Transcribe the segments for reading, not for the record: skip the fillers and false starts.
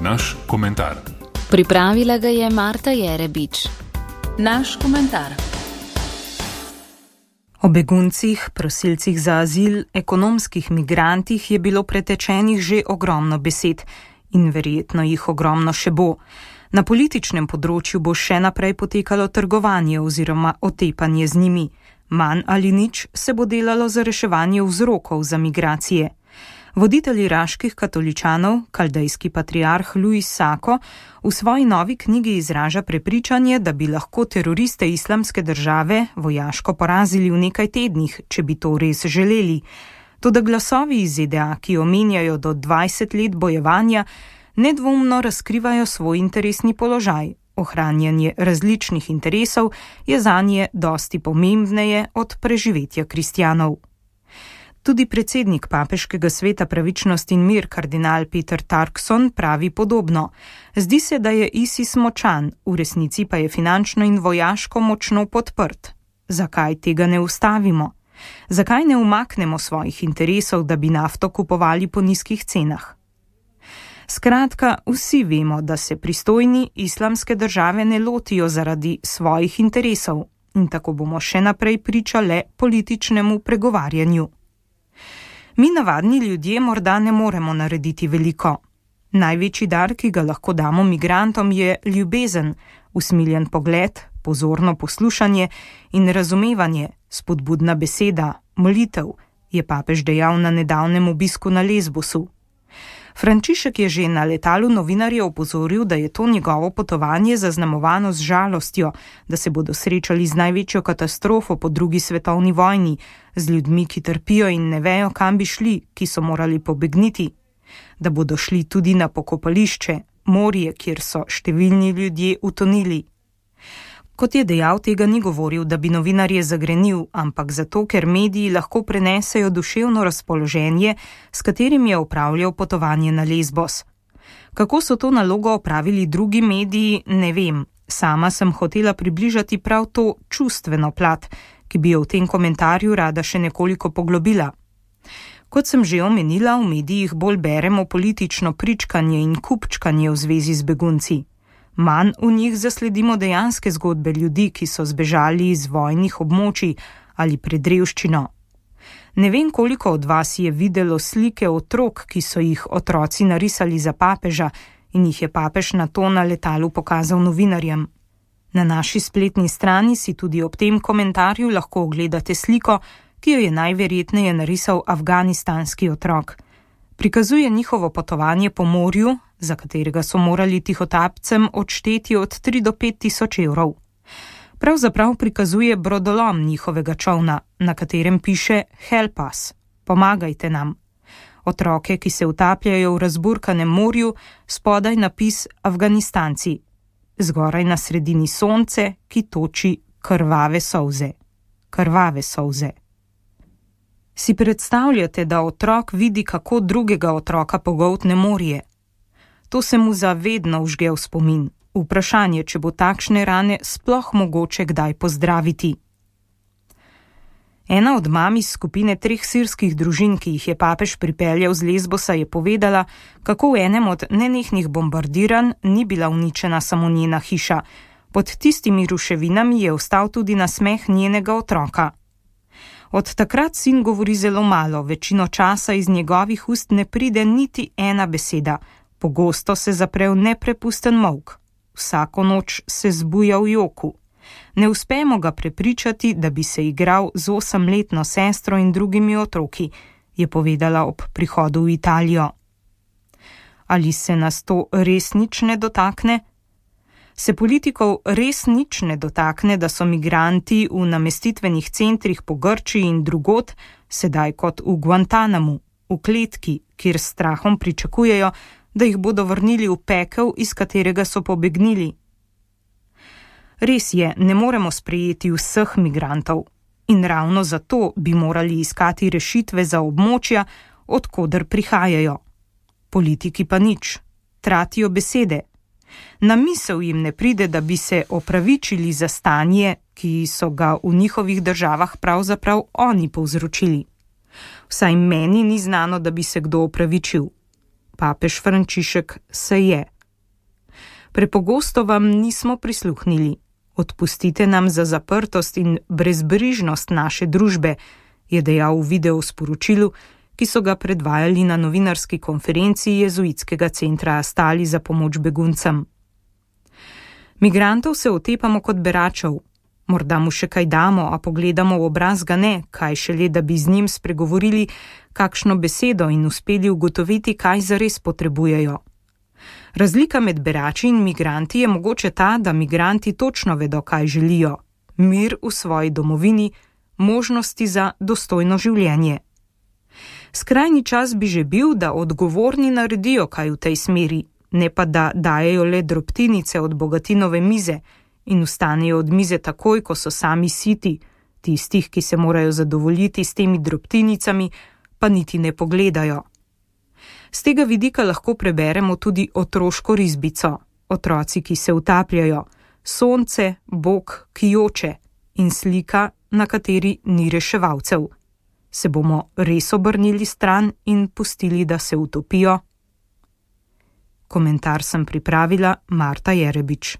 Naš komentar. Pripravila ga je Marta Jerebič. Naš komentar. O beguncih, prosilcih za azil, ekonomskih migrantih je bilo pretečenih že ogromno besed in verjetno jih ogromno še bo. Na političnem področju bo še naprej potekalo trgovanje oziroma otepanje z njimi. Manj ali nič se bo delalo za reševanje vzrokov za migracije. Voditelj iraških katoličanov, kaldejski patriarh Luis Sako, v svoji novi knjigi izraža prepričanje, da bi lahko teroriste Islamske države vojaško porazili v nekaj tednih, če bi to res želeli. Toda glasovi iz ZDA, ki omenjajo do 20 let bojevanja, nedvomno razkrivajo svoj interesni položaj. Ohranjanje različnih interesov je zanje dosti pomembneje od preživetja kristjanov. Tudi predsednik Papeškega sveta pravičnost in mir, kardinal Peter Turkson, pravi podobno. Zdi se, da je ISIS močan, v resnici pa je finančno in vojaško močno podprt. Zakaj tega ne ustavimo? Zakaj ne umaknemo svojih interesov, da bi nafto kupovali po nizkih cenah? Skratka, vsi vemo, da se pristojni Islamske države ne lotijo zaradi svojih interesov in tako bomo še naprej pričali političnemu pregovarjanju. Mi navadni ljudje morda ne moremo narediti veliko. Največji dar, ki ga lahko damo migrantom, je ljubezen, usmiljen pogled, pozorno poslušanje in razumevanje, spodbudna beseda, molitev, je papež dejal na nedavnem obisku na Lesbosu. Frančišek je že na letalu novinarje opozoril, da je to njegovo potovanje zaznamovano z žalostjo, da se bodo srečali z največjo katastrofo po drugi svetovni vojni, z ljudmi, ki trpijo in ne vejo, kam bi šli, ki so morali pobegniti, da bodo šli tudi na pokopališče, morje, kjer so številni ljudje utonili. Kot je dejal, tega ni govoril, da bi novinarje zagrenil, ampak zato, ker mediji lahko prenesejo duševno razpoloženje, s katerim je opravljal potovanje na Lesbos. Kako so to nalogo opravili drugi mediji, ne vem. Sama sem hotela približati prav to čustveno plat, ki bi jo v tem komentarju rada še nekoliko poglobila. Kot sem že omenila, v medijih bolj beremo politično pričkanje in kupčkanje v zvezi z begunci. Manj v njih zasledimo dejanske zgodbe ljudi, ki so zbežali iz vojnih območij ali pred revščino. Ne vem, koliko od vas je videlo slike otrok, ki so jih otroci narisali za papeža in jih je papež nato na letalu pokazal novinarjem. Na naši spletni strani si tudi ob tem komentarju lahko ogledate sliko, ki jo je najverjetneje narisal afganistanski otrok. Prikazuje njihovo potovanje po morju, za katerega so morali tihotapcem odšteti od 3 do 5 tisoč evrov. Pravzaprav prikazuje brodolom njihovega čolna, na katerem piše Help us, pomagajte nam. Otroke, ki se utapljajo v razburkanem morju, spodaj napis Afganistanci. Zgoraj na sredini sonce, ki toči krvave solze. Krvave solze. Si predstavljate, da otrok vidi, kako drugega otroka pogoltne morje? To se mu zavedno vžge v spomin. Vprašanje, če bo takšne rane sploh mogoče kdaj pozdraviti. Ena od mam iz skupine 3 sirskih družin, ki jih je papež pripeljal z Lesbosa, je povedala, kako v enem od nenehnih bombardiranj ni bila uničena samo njena hiša. Pod tistimi ruševinami je ostal tudi nasmeh njenega otroka. Od takrat sin govori zelo malo, večino časa iz njegovih ust ne pride niti ena beseda. Pogosto se zapre v neprepusten molk. Vsako noč se zbuja v joku. Ne uspemo ga prepričati, da bi se igral z 8-letno sestro in drugimi otroki, je povedala ob prihodu v Italijo. Ali se nas to res nič ne dotakne? Se politikov res nič ne dotakne, da so migranti v namestitvenih centrih po Grčiji in drugod, sedaj kot v Guantanamu, v kletki, kjer s strahom pričakujejo, da jih bodo vrnili v pekel, iz katerega so pobegnili? Res je, ne moremo sprejeti vseh migrantov in ravno zato bi morali iskati rešitve za območja, od koder prihajajo. Politiki pa nič, tratijo besede. Na misel jim ne pride, da bi se opravičili za stanje, ki so ga v njihovih državah pravzaprav oni povzročili. Vsaj meni ni znano, da bi se kdo opravičil. papež Frančišek se je. Prepogosto vam nismo prisluhnili. Odpustite nam za zaprtost in brezbrižnost naše družbe, je dejal v videosporočilu, ki so ga predvajali na novinarski konferenci jezuitskega centra Astali za pomoč beguncem. Migrantov se otepamo kot beračev. Morda mu še kaj damo, a pogledamo v obraz ga ne, kaj šele, da bi z njim spregovorili kakšno besedo in uspeli ugotoviti, kaj zares potrebujejo. Razlika med berači in migranti je mogoče ta, da migranti točno vedo, kaj želijo. Mir v svoji domovini, možnosti za dostojno življenje. Skrajni čas bi že bil, da odgovorni naredijo kaj v tej smeri, ne pa da dajejo le drobtinice od bogatinove mize in vstanejo od mize takoj, ko so sami siti, tistih, ki se morajo zadovoljiti s temi drobtinicami, pa niti ne pogledajo. Z tega vidika lahko preberemo tudi otroško risbico, otroci, ki se utapljajo, sonce, Bog, ki joče in slika, na kateri ni reševalcev. Se bomo res obrnili stran in pustili, da se utopijo? Komentar sem pripravila Marta Jerebič.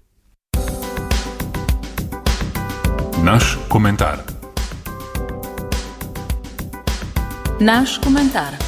Naš komentar. Naš komentar.